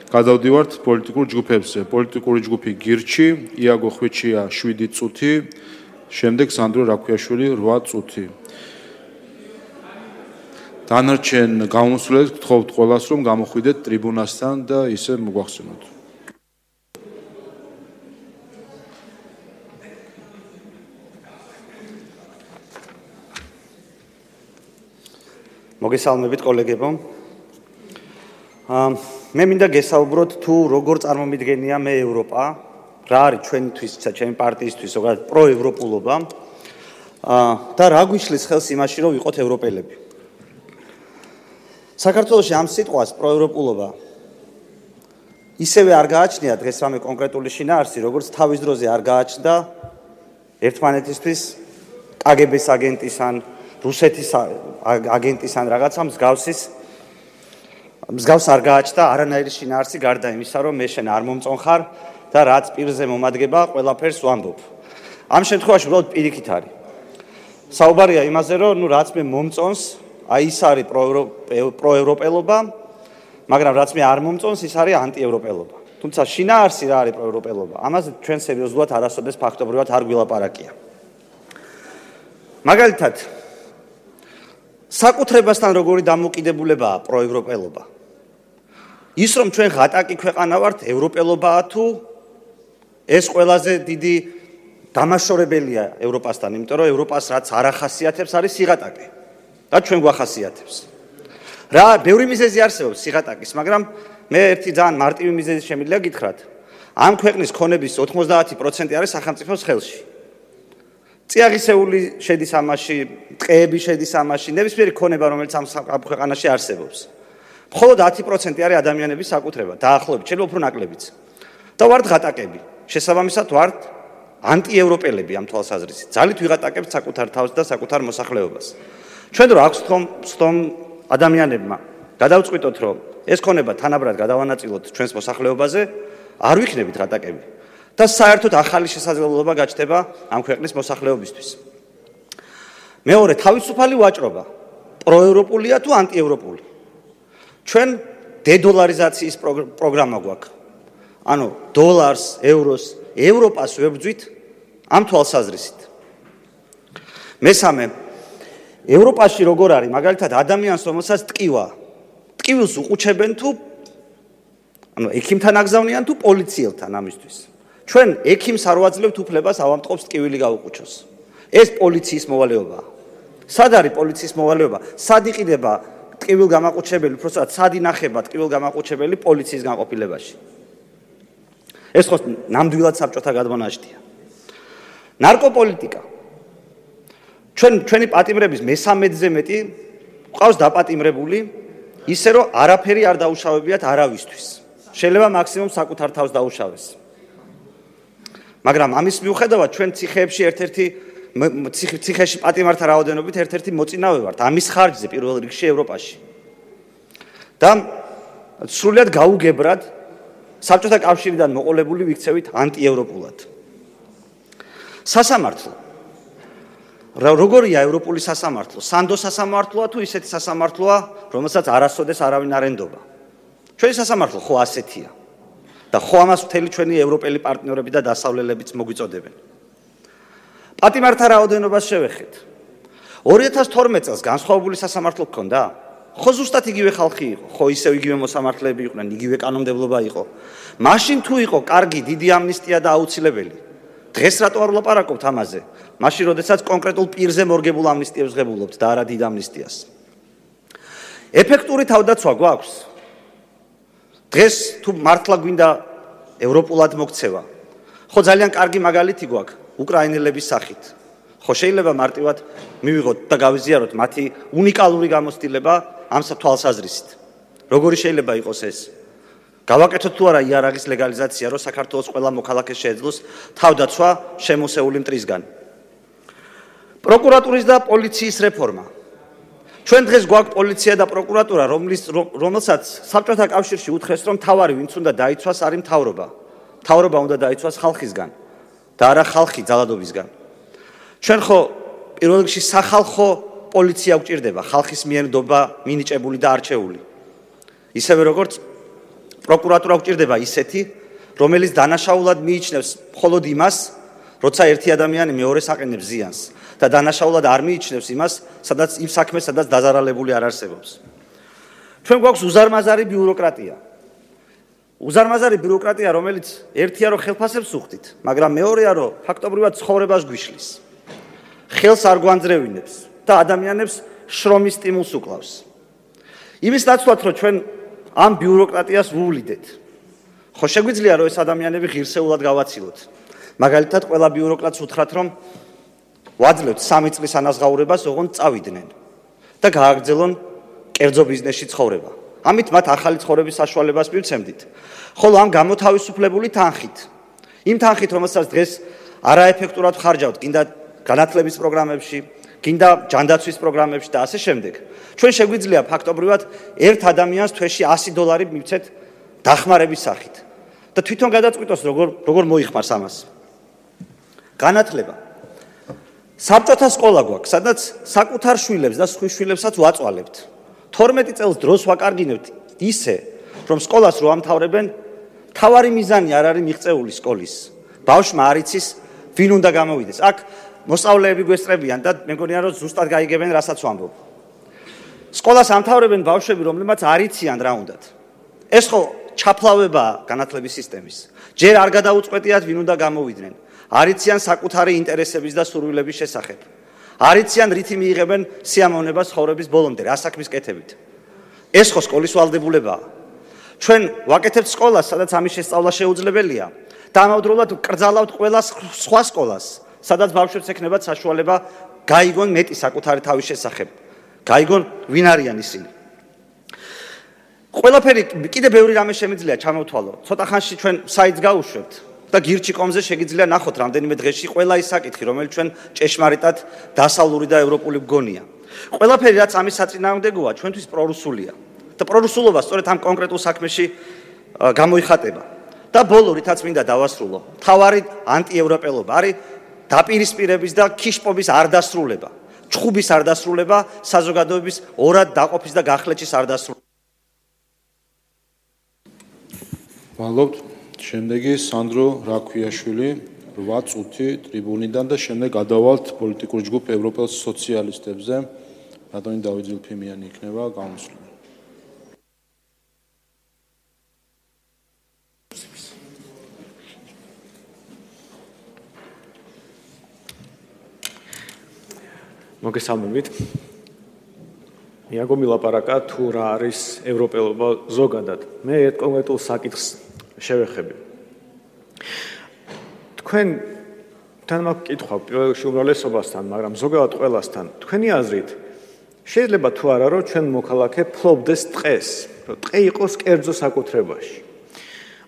გადავდივართ პოლიტიკურ ჯგუფებზე. პოლიტიკური ჯგუფი გირჩი, იაგო ხვიჩია 7 წუთი, შემდეგ სანდრო რაქვიაშვილი 8 წუთი. დანარჩენ გამოსვლებს გთხოვთ ყველას, რომ გამოხვიდეთ ტრიბუნასთან და ისე მოგვახსენოთ. მოგესალმებით კოლეგებო. მე მინდა გესაუბროთ თუ როგორ წარმომიდგენია მე ევროპა, რა არის ჩვენთვის, ჩემი პარტიისთვის, ზოგადად პროევროპულობა და რა გვიშლის ხელს იმაში, რომ ვიყოთ ევროპელები. საქართველოში ამ სიტყვას პროევროპულობა ისევე არ გააჩნია დღეს რამე კონკრეტული შინაარსი, როგორც თავის დროზე არ გააჩნდა ერთმანეთისთვის კგბ-ს აგენტის ან რუსეთის აგენტის ან რაღაცა მსგავს არ გააჩნდა არანაირი შინაარსი გარდა იმისა, რომ მე შენ არ მომწონხარ და რაც პირზე მომადგება, ყველაფერს ვამბობ. ამ შემთხვევაში უბრალოდ პირიქით არის. საუბარია იმაზე, რომ რაც მე მომწონს, აი ის არის პროევროპელობა, მაგრამ რაც მე არ მომწონს, ის არის ანტიევროპელობა. თუმცა შინაარსი რა არის პროევროპელობა? ამაზე ჩვენ სერიოზულად არასოდეს ფაქტობრივად არ გვილაპარაკია. მაგალითად, საკუთრებასთან როგორი დამოკიდებულებაა პროევროპელობა? ის რომ ჩვენ ღატაკი ქვეყანა ვართ, ევროპელობაა თუ ეს ყველაზე დიდი დამაშორებელია ევროპასთან, იმიტომ რომ ევროპას რაც არ ახასიათებს არის სიღატაკე და ჩვენ გვახასიათებს. რა, ბევრი მიზეზი არსებობს სიღატაკის, მაგრამ მე ერთი ძალიან მარტივი მიზეზი შემიძლია გითხრათ. ამ ქვეყნის ქონების 90% არის სახელმწიფოს ხელში. წიაღისეული შედის ამაში, ტყეები შედის ამაში, ნებისმიერი ქონება, რომელიც ამ ქვეყანაში არსებობს. მხოლოდ 10% არის ადამიანების საკუთრება, დაახლოებით, შეიძლება უფრო ნაკლებიც. და ვართ ღატაკები. შესაბამისად ვართ ანტიევროპელები ამ თვალსაზრისით. ძალით ვიღატაკებთ საკუთარ თავს და საკუთარ მოსახლეობას. ჩვენ რო აქვს თომ ადამიანებმა გადავწყვიტოთ, რომ ეს ქონება თანაბრად გადავანაწილოთ ჩვენს მოსახლეობაზე, არ ვიქნებით ღატაკები. და საერთოდ ახალი შესაძლებლობა გაჩნდება ამ ქვეყნის მოსახლეობისთვის. მეორე, თავისუფალი ვაჭრობა. პროევროპულია თუ ანტიევროპული? ჩვენ დედოლარიზაციის პროგრამა გვაქვს. ანუ დოლარს, ევროს, ევროპას ვებრძვით ამ თვალსაზრისით. მესამე, ევროპაში როგორ არის? მაგალითად, ადამიანს რომელსაც ტკივილს უყუჩებენ თუ ანუ ექიმთან აგზავნიან თუ პოლიციელთან ამისთვის. ჩვენ ექიმს არ ვაძლევთ უფლებას ავამტყობს ტკივილი გაუყუჩოს. ეს პოლიციის მოვალეობაა. სად არის პოლიციის მოვალეობა? სად იყიდება ტკივილგამაყუჩებელი, უბრალოდ სად ინახება ტკივილგამაყუჩებელი პოლიციის განყოფილებაში? ეს ხო ნამდვილად საბჭოთა გადმონაშთია. ნარკოპოლიტიკა. ჩვენი პატიმრების მესამედზე მეტი ყავს დაპატიმრებული, ისე რომ არაფერი არ დაუშავებიათ არავისთვის. შეიძლება მაქსიმუმ საკუთარ თავს დაუშავეს. მაგრამ ამის მიუხედავად ჩვენ ციხეში პატიმართა რაოდენობით ერთ-ერთი მოწინავე ვართ ამის ხარჯზე პირველ რიგში ევროპაში. და სრულად გაუგებრად საბჭოთა კავშირიდან მოყოლებული ვიქცევით ანტიევროპულად. სასამართლო. როგორია ევროპული სასამართლო? სანდო სასამართლოა თუ ისეთი სასამართლოა, რომელსაც არასოდეს არავინ არ ენდობა? ჩვენი სასამართლო ხო ასეთია. და ხო ამას მთელი ჩვენი ევროპელი პარტნიორები და დასავლელებიც მოგვიწოდებენ. პატიმართა რაოდენობას შევეხეთ. 2012 წელს განსხვავებული სასამართლო გქონდა? ხო ზუსტად იგივე ხალხი იყო, ხო ისევ იგივე მოსამართლეები იყვნენ, იგივე კანონმდებლობა იყო. მაშინ თუ იყო კარგი დიდი ამნისტია და აუცილებელი, დღეს რატო არ ვლაპარაკობთ ამაზე? მაშინ როდესაც კონკრეტულ პირზე მორგებულ ამნისტიებს ღებულობთ და არა დიდ ამნისტიას. ეფექტური თავდაცვა გვაქვს? დღეს თუ მართლა გვინდა ევროპულად მოქცევა, ხო ძალიან კარგი მაგალითი გვაქვს უკრაინელების სახით. ხო შეიძლება მარტივად მივიღოთ და გავიზიაროთ მათი უნიკალური გამოცდილება ამ თვალსაზრისით. როგორი შეიძლება იყოს ეს? გავაკეთოთ თუ არა იარაღის ლეგალიზაცია, რომ საქართველოს ყველა მოქალაქეს შეეძლოს თავდაცვა შემოსეული მტრისგან. პროკურატურის და პოლიციის რეფორმა. ჩვენ დღეს გვაქვს პოლიცია და პროკურატურა, რომელსაც საბჭოთა კავშირში უთხრეს, რომ თავარი ვინც უნდა დაიცვას არის მთავრობა. მთავრობა უნდა დაიცვას ხალხისგან და არა ხალხი ძალადობისგან. ჩვენ ხო პირველ რიგში სახალხო პოლიცია გვჭირდება, ხალხის მიერ ნდობა მინიჭებული და არჩეული. ისევე როგორც პროკურატურა გვჭირდება ისეთი, რომელიც დანაშაულად მიიჩნევს მხოლოდ იმას, როცა ერთი ადამიანი მეორეს აყენებს ზიანს და დანაშაულად არ მიიჩნევს იმას, სადაც იმ საქმეს, სადაც დაზარალებული არ არსებობს. ჩვენ გვაქვს უზარმაზარი ბიუროკრატია. უზარმაზარი ბიუროკრატია, რომელიც ერთია რომ ხელფასებს უხდით, მაგრამ მეორეა რომ ფაქტობრივად ცხოვრებას გვიშლის. ხელს არ გვანძრევინებს და ადამიანებს შრომის სტიმულს უკლავს. იმის ნაცვლად რომ ჩვენ ამ ბიუროკრატიას ვუვლიდეთ. ხო შეგვიძლია რომ ეს ადამიანები ღირსეულად გავაცილოთ. მაგალითად, ყველა ბიუროკრატს უთხრათ რომ ვაძლევთ 3 წლის ანაზღაურებას, ოღონდ წავიდნენ და გააგრძელონ კერძო ბიზნესში ცხოვრება. ამით მათ ახალი ცხოვრების საშუალებას მივცემდით. ხოლო ამ გამოთავისუფლებული თანხით, იმ თანხით, რომელსაც დღეს არაეფექტურად ხარჯავთ, გინდა განათლების პროგრამებში, გინდა ჯანდაცვის პროგრამებში და ასე შემდეგ. ჩვენ შეგვიძლია ფაქტობრივად ერთ ადამიანს თვეში $100 მივცეთ დახმარების სახით. და თვითონ გადაწყვიტოს როგორ მოიხმარს ამას. განათლება. საბჭოთა სკოლა გვაქვს, სადაც საკუთარ შვილებს და სხვის შვილებსაც ვაწვალებთ. 12 წელს დროს ვაკარგინებთ ისე, რომ სკოლას რო ამთავრებენ, თავარი მიზანი არ არის მიღწეული სკოლის. ბავშვმა არ იცის, ვინ უნდა გამოვიდეს. აქ მოსწავლეები გვესწრებიან და მე მგონია რომ ზუსტად გაიგებენ, რასაც ვამბობ. სკოლას ამთავრებენ ბავშვები, რომლებმაც არ იციან რა უნდათ. ეს ხო ჩაფლავებაა განათლების სისტემის. ჯერ არ გადაუწყვეტიათ, ვინ უნდა გამოვიდნენ. არ იციან საკუთარი ინტერესების და სურვილების შესახებ. არ იციან რითი მიიღებენ სიამოვნებას ცხოვრების ბოლომდე, რა საქმის კეთებით. ეს ხო სკოლის ვალდებულებაა. ჩვენ ვაკეთებთ სკოლას, სადაც ამის შესწავლა შეუძლებელია და ამავდროულად კრძალავთ ყველა სხვა სკოლას, სადაც ბავშვებს ექნებათ საშუალება გაიგონ მეტი საკუთარი თავის შესახებ. გაიგონ ვინ არიან ისინი. ყველაფერი კიდე ბევრი რამე შემიძლია ჩამოვთვალო. ცოტა ხანში ჩვენ საიტს გავუშვებთ და გირჩი.com-ზე შეგიძლია ნახოთ რამდენიმე დღეში ყველა ის საკითხი, რომელიც ჩვენ ჭეშმარიტად დასავლური და ევროპული მგონია. ყველაფერი რაც ამის საწინააღმდეგოა, ჩვენთვის პრორუსულია. და პრორუსულობა სწორედ ამ კონკრეტულ საქმეში გამოიხატება. და ბოლო რითაც მინდა დავასრულო, თავარი ანტიევროპელობა არის დაპირისპირების და ქიშპობის არ დასრულება, ჩხუბის არ დასრულება, საზოგადოების ორად დაყოფის და გახლეჩის არ დასრულება. მადლობთ. შემდეგი სანდრო რაქვიაშვილი 8 წუთი ტრიბუნიდან და შემდეგ გადავალთ პოლიტიკურ ჯგუფ ევროპელ სოციალისტებზე. რატონი დავით ზილფიმიანი იქნება გამოსვლელი. მოგესალმებით. მიაგო მილაპარაკა თუ რა არის ევროპელობა ზოგადად. მე ერთ კონკრეტულ საკითხს შევეხები. თქვენ თან მაქვს კითხვა პირველ რიგში უმრავლესობასთან, მაგრამ ზოგადად ყველასთან. თქვენი აზრით შეიძლება თუ არა რომ ჩვენ მოქალაქე ფლობდეს ტყეს, რომ ტყე იყოს კერძო საკუთრებაში.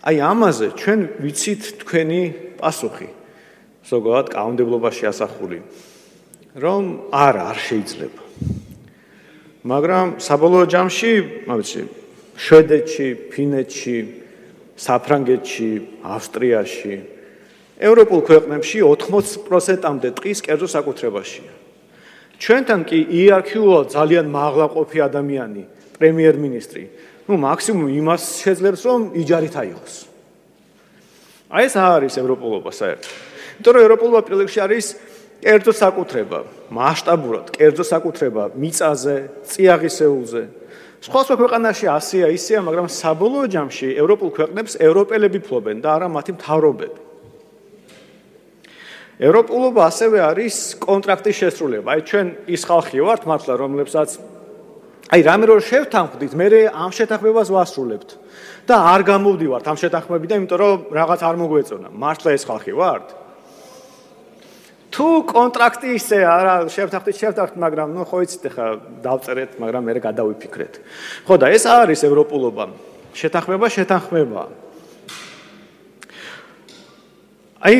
აი ამაზე ჩვენ ვიცით თქვენი პასუხი. ზოგადად კანონმდებლობაში ასახული. რომ არ შეიძლება. მაგრამ საბოლოო ჯამში, მაგალითად, შვედეთში, ფინეთში, საფრანგეთში, ავსტრიაში, ევროპულ ქვეყნებში 80%-მდე ტყის კერძო საკუთრებაშია. ჩვენთან კი იერარქიულად ძალიან მაღლაყოფი ადამიანი, პრემიერ-მინისტრი, მაქსიმუმ იმას შეძლებს, რომ იჯარით აიღოს. აი ეს არის ევროპულობა საერთოდ. იმიტომ რომ ევროპულობა პირველ რიგში არის კერძო საკუთრება, მასშტაბურად კერძო საკუთრება მიწაზე, წიაღისეულზე. სხვა ქვეყანაში ასეა, ისეა, მაგრამ საბოლოო ჯამში ევროპულ ქვეყნებს ევროპელები ფლობენ და არა მათი მთავრობები. ევროპულობა ასევე არის კონტრაქტის შესრულება. აი ჩვენ ის ხალხი ვართ მართლა, რომლებსაც აი რამე რო შევთანხმდით, მე ამ შეთანხმებას ვასრულებთ და არ გამოვდივართ ამ შეთანხმებიდან, იმიტომ რომ რაღაც არ მოგვეწონა. მართლა ეს ხალხი ვართ? თუ კონტრაქტი ისე არა შევთანხმდით, მაგრამ ხო იცით ხა დავწერეთ, მაგრამ მე გადავიფიქრეთ. ხო და ეს არის ევროპულობა. შეთანხმება. აი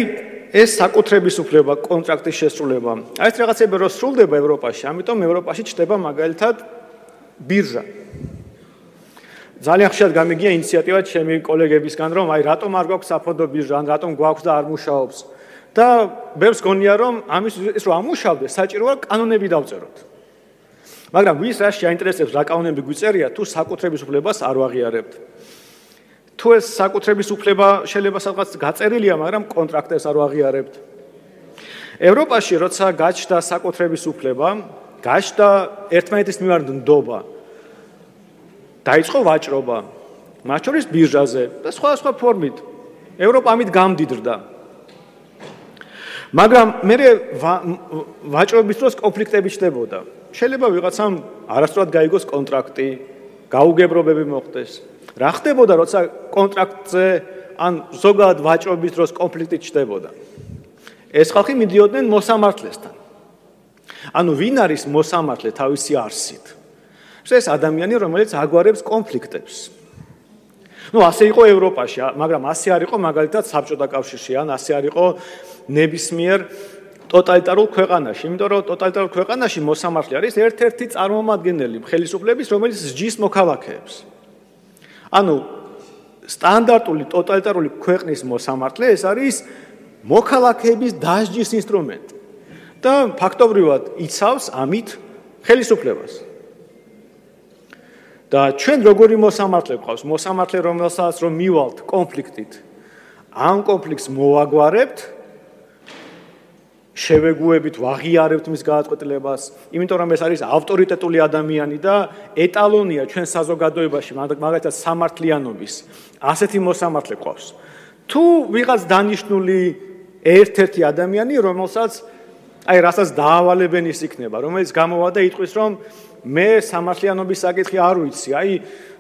ეს საკუთრების უფლება, კონტრაქტის შესრულება. აი ეს რაღაცები რო სრულდება ევროპაში, ამიტომ ევროპაში ჩდება მაგალითად ბირჟა. ძალიან ხშირად გამიგია ინიციატივა ჩემი კოლეგებისგან, რომ აი რატომ არ გვაქვს საფონდო ბირჟა, ან რატომ გვაქვს და არ მუშაობს. და ბევრს გონია რომ ამის რომ ამუშავდეს, საჭიროა კანონები დავწეროთ. მაგრამ ვის რა შეაინტერესებს რა კანონები გვიწერია, თუ საკუთრების უფლებას არ ვაღიარებთ. თუ ეს საკუთრების უფლება შეიძლება სადღაც გაწერილია, მაგრამ კონტრაქტებს არ ვაღიარებთ. ევროპაში როცა გაჩნდა საკუთრების უფლება, გაჩნდა ერთმანეთის მიმართ ნდობა. დაიწყო ვაჭრობა, მათ შორის ბირჟაზე და სხვა ფორმით. ევროპა ამით გამდიდრდა. მაგრამ მე ვაჭრობის დროს კონფლიქტები ჩნდებოდა. შეიძლება ვიღაცამ არასწორად გაიგოს კონტრაქტი, გაუგებრობები მოხდეს. რა ხდებოდა, როცა კონტრაქტზე ან ზოგადად ვაჭრობის დროს კონფლიქტი ჩნდებოდა? ეს ხალხი მიდიოდნენ მოსამართლესთან. ანუ ვინ არის მოსამართლე თავისი არსით? ეს ადამიანი, რომელიც აგვარებს კონფლიქტებს. ასე იყო ევროპაში, მაგრამ ასე არ იყო მაგალითად საბჭოთა კავშირში, ან ასე არ იყო ნებისმიერ ტოტალიტარულ ქვეყანაში, იმიტომ რომ ტოტალიტარულ ქვეყანაში მოსამართლე არის ერთ-ერთი წარმომადგენელი ხელისუფლების, რომელიც სჯის მოქალაქეებს. ანუ სტანდარტული ტოტალიტარული ქვეყნის მოსამართლე ეს არის მოქალაქეების დასჯის ინსტრუმენტი და ფაქტობრივად იცავს ამით ხელისუფლებას. და ჩვენ როგორი მოსამართლე გვყავს? მოსამართლე, რომელსაც რომ მივალთ კონფლიქტით, ამ კონფლიქტს მოვაგვარებთ, შევეგუებით, ვაღიარებთ მის გადაწყვეტილებას, იმიტომ რომ ეს არის ავტორიტეტული ადამიანი და ეტალონია ჩვენ საზოგადოებაში, მაგალითად სამართლიანობის, ასეთი მოსამართლე გვყავს. თუ ვიღაც დანიშნული ერთ-ერთი ადამიანი, რომელსაც რასაც დაავალებენ ის იქნება, რომელიც გამოვა და იტყვის, რომ მე სამართლიანობის საკითხი არ ვიცი,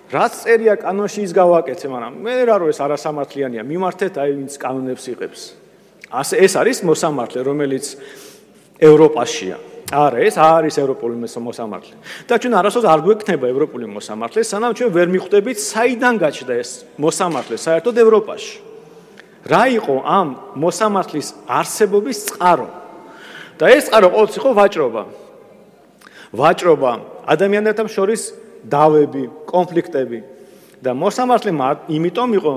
რაც წერია კანონში ის გავაკეთე, მაგრამ მე რა რო ეს არასამართლიანია, მიმართეთ ვინც კანონებს იღებს. ეს არის მოსამართლე, რომელიც ევროპაშია. არა, ეს არის ევროპული მოსამართლე. და ჩვენ არასოდეს არ გვექნება ევროპული მოსამართლე, სანამ ჩვენ ვერ მიხვდებით, საიდან გაჩნდა ეს მოსამართლე საერთოდ ევროპაში. რა იყო ამ მოსამართლის არსებობის წყარო? და ეს წყარო ყოველთვის იყო ვაჭრობა. ვაჭრობა, ადამიანებთან შორის დავები, კონფლიქტები და მოსამართლე იმიტომ იყო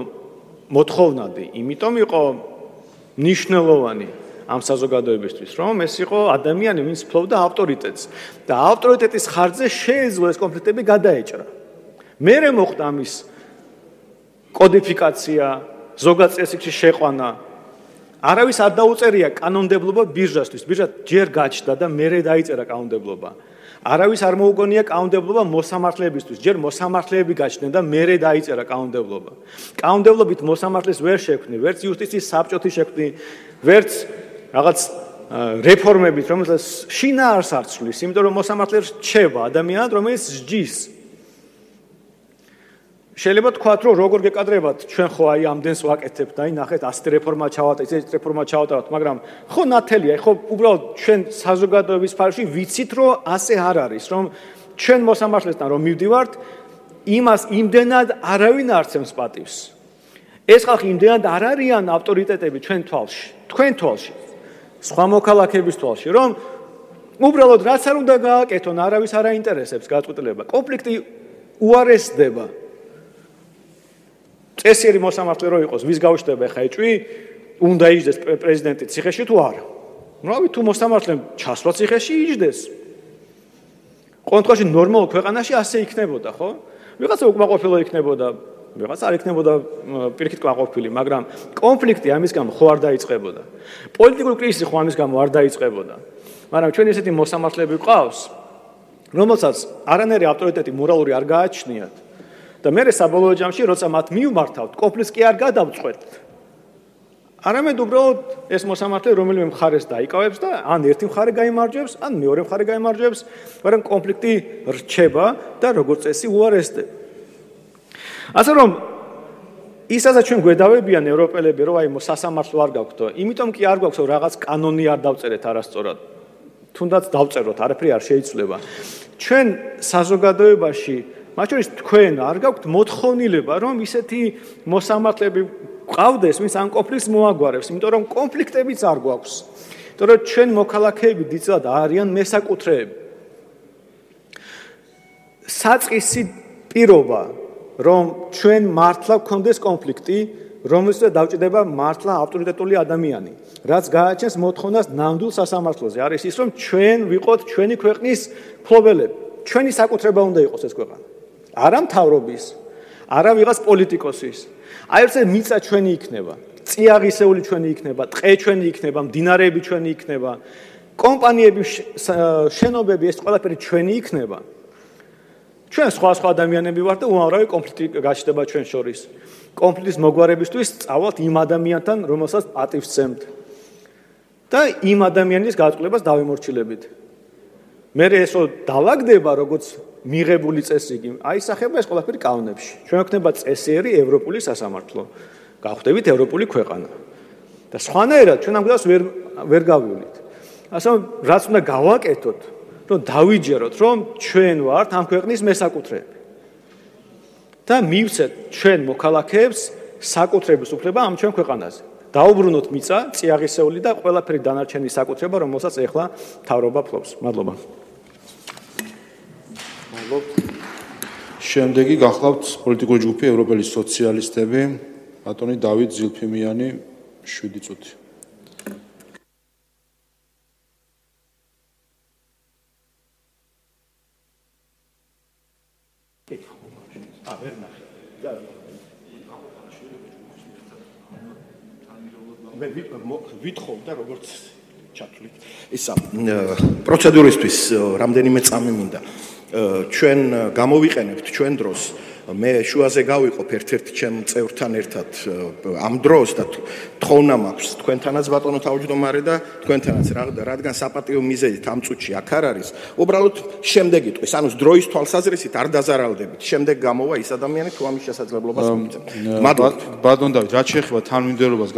მოთხოვნადი, იმიტომ იყო ნიშნულოვანი ამ საზოგადოებისთვის, რომ ეს იყო ადამიანი, ვინც ფლობდა ავტორიტეტს და ავტორიტეტის ხარჯზე შეეძლო ეს კონფლიქტები გადაეჭრა. მერე მოხდა ამის კოდიფიკაცია, ზოგად წესრიგში შეყვანა. არავის არ დაუწერია კანონმდებლობა ბირჟასთვის. ბირჟა ჯერ გაჩნდა და მერე დაიწერა კანონმდებლობა. არავის არ მოუგონია კანონმდებლობა მოსამართლეებისთვის. ჯერ მოსამართლეები გაჩნდნენ და მერე დაიწერა კანონმდებლობა. კანონმდებლობით მოსამართლეს ვერ შექმნი, ვერც იუსტიციის საბჭოთი შექმნი, ვერც რაღაც რეფორმებით, რომელსაც შინაარს არ ცვლის, იმიტომ რომ მოსამართლე რჩება ადამიანად, რომელიც სჯის. შეიძლება თქვათ, რომ როგორ გეკადრებათ, ჩვენ ხო ამდენს ვაკეთებთ და ნახეთ, ასეთი რეფორმა ჩავატარეთ, ესეთი რეფორმა ჩავატაროთ, მაგრამ ხო ნათელია, ხო უბრალოდ ჩვენ საზოგადოების სფეროში ვიცით, რომ ასე არ არის, რომ ჩვენ მოსამართლესთან რომ მივდივართ, იმას იმდენად არავინ არ ცემს პატივს. ეს ხალხი იმდენად არ არიან ავტორიტეტები ჩვენ თვალში, თქვენ თვალში, სხვა მოქალაქეების თვალში, რომ უბრალოდ რაც არ უნდა გააკეთონ, არავის არ აინტერესებს გადაწყვეტილება. კონფლიქტი უარესდება. წესიერი მოსამართლე რო იყოს, ვის გავშტება ხა ეჭვი, უნდა იჯდეს პრეზიდენტი ციხეში თუ არა. რავი, თუ მოსამართლემ ჩასვლა ციხეში იჯდეს. კონტროლში ნორმალურ ქვეყანაში ასე იქნებოდა, ხო? ვიღაცა უკმაყოფილო იქნებოდა, ვიღაცა არ იქნებოდა პირიქით კმაყოფილი, მაგრამ კონფლიქტი ამის გამო ხო არ დაიწყებოდა. პოლიტიკური კრიზისი ხო ამის გამო არ დაიწყებოდა. მაგრამ ჩვენ ესეთი მოსამართლეები გვყავს, რომელსაც არანაირი ავტორიტეტი მორალური არ გააჩნიათ. და მე საბოლოო ჯამში, როცა მათ მივმართავთ, კონფლიქტს კი არ გადავწყვეტთ. არამედ უბრალოდ ეს მოსამართლე რომელიმე მხარეს დაიკავებს და ან ერთი მხარე გაიმარჯვებს, ან მეორე მხარე გაიმარჯვებს, მაგრამ კონფლიქტი რჩება და როგორც წესი უარესდება. ასე რომ ისაც ჩვენ გვედავებიან ევროპელები, რომ სასამართლო არ გაქვთ, იმიტომ კი არ გვაქვს, რომ რაღაც კანონი არ დავწერეთ არასწორად. თუნდაც დავწეროთ, არაფერი არ შეიცვლება. ჩვენ საზოგადოებაში მათ შორის თქვენ არ გაქვთ მოთხოვნილება, რომ ისეთი მოსამართლეები ყავდეს, ვინც ამ კონფლიქტს მოაგვარებს, იმიტომ რომ კონფლიქტებიც არ გვაქვს. იმიტომ რომ ჩვენ მოქალაქეები დიდწილად არიან მესაკუთრეები. საწყისი პირობა, რომ ჩვენ მართლა გქონდეს კონფლიქტი, რომელსაც დავჭირდება მართლა ავტორიტეტული ადამიანი, რაც გააჩენს მოთხოვნას ნამდვილ სასამართლოზე, არის ის, რომ ჩვენ ვიყოთ ჩვენი ქვეყნის მფლობელები. ჩვენი საკუთრება უნდა იყოს ეს ქვეყანა. არა მთავრობის, არა ვიღაც პოლიტიკოსის. აი ესე მიწა ჩვენი იქნება, წიაღისეული ჩვენი იქნება, ტყე ჩვენი იქნება, მდინარეები ჩვენი იქნება, კომპანიები, შენობები, ეს ყველაფერი ჩვენი იქნება. ჩვენ სხვა ადამიანები ვართ და უამრავი კონფლიქტი გაჩნდება ჩვენ შორის. კონფლიქტის მოგვარებისთვის წავალთ იმ ადამიანთან, რომელსაც პატივს სცემთ. და იმ ადამიანის გაწყვეტილებას დავემორჩილებით. მე ესო დავაგდება როგორც მიღებული წესი, აისახება ეს ყველაფერი კანონებში. ჩვენ ვქნება წესიერი ევროპული სასამართლო. გავხდებით ევროპული ქვეყანა. და სხვანაირად ჩვენ ამ გზას ვერ გავივლით. ასე რომ რაც უნდა გავაკეთოთ, რომ დავიჯეროთ, რომ ჩვენ ვართ ამ ქვეყნის მესაკუთრეები. და მივცეთ ჩვენ მოქალაქეებს საკუთრების უფლება ამ ჩვენ ქვეყანაზე. დაუბრუნოთ მიწა, წიაღისეული და ყველაფერი დანარჩენი საკუთრება, რომელსაც ეხლა მთავრობა ფლობს. მადლობა. შემდეგი გახლავთ პოლიტიკური ჯგუფი ევროპელი სოციალისტები, ბატონი დავით ზილფიმიანი, 7 წუთი. მე ვითხოვ და როგორც ჩათვლით ისა პროცედურისთვის რამდენიმე წამი მინდა ჩვენ გამოვიყენებთ ჩვენ დროს მე შუაზე გავიყო ერთ-ერთ ჩემ წევრთან ერთად ამ დროს და თხოვნა მაქვს თქვენთანაც ბატონო თავმჯდომარე და თქვენთანაც რადგან საპატიო მიზეზით ამ წუთში აქ არ არის უბრალოდ შემდეგ იტყვის ანუ დროის თვალსაზრისით არ დაზარალდებით შემდეგ გამოვა ის ადამიანი თუ ამის შესაძლებლობას მოგცემთ მადლობა ბატონ დავით რაც შეეხება თანმიმდევრობას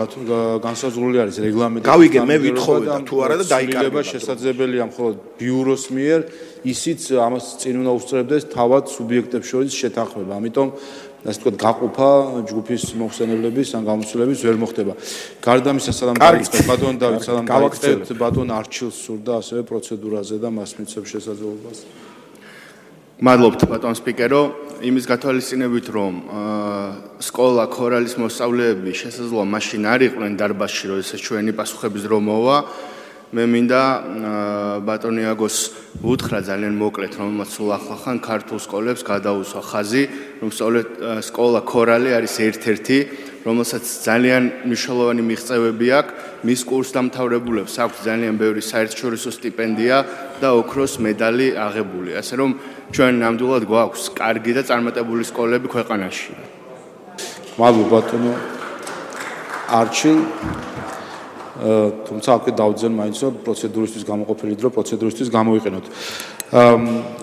განსაზღვრული არის რეგლამენტი გავიგე მე ვითხოვე და თუ არა და დაიკარგება შესაძლებელია მხოლოდ ბიუროს მიერ ისიც ამას წინ უნდა უსწრებდეს თავად სუბიექტებს შორის შეთანხმება ამიტომ ასე ვთქვათ გაყოფა ჯგუფის მოხსენებლების ან გამოცდილების ვერ მოხდება. გარდა ამისა სალამ დაიწყეთ ბატონ დავით სალამ დაიწყეთ ბატონ არჩილს სურდა ასევე პროცედურაზე და მას მიცემ შესაძლებლობას. მადლობთ ბატონ სპიკერო იმის გათვალისწინებით რომ სკოლა ქორალის მოსწავლეები შესაძლოა მაშინ არ იყვნენ დარბაზში როდესაც ჩვენი პასუხების დრო მოვა მე მინდა ბატონ იაგოს უთხრა ძალიან მოკლედ რომელმაც სულ ახლახან ქართულ სკოლებს გადაუსვა ხაზი რომ სკოლა ქორალი არის ერთ-ერთი რომელსაც ძალიან მნიშვნელოვანი მიღწევები აქვს მის კურსდამთავრებულებს აქვს ძალიან ბევრი საერთაშორისო სტიპენდია და ოქროს მედალი აღებული ასე რომ ჩვენ ნამდვილად გვაქვს კარგი და წარმატებული სკოლები ქვეყანაში მადლობა ბატონო არჩილ თუმცა აქ დავძენ მაინც რომ პროცედურისთვის გამოყოფილი დრო პროცედურისთვის გამოვიყენოთ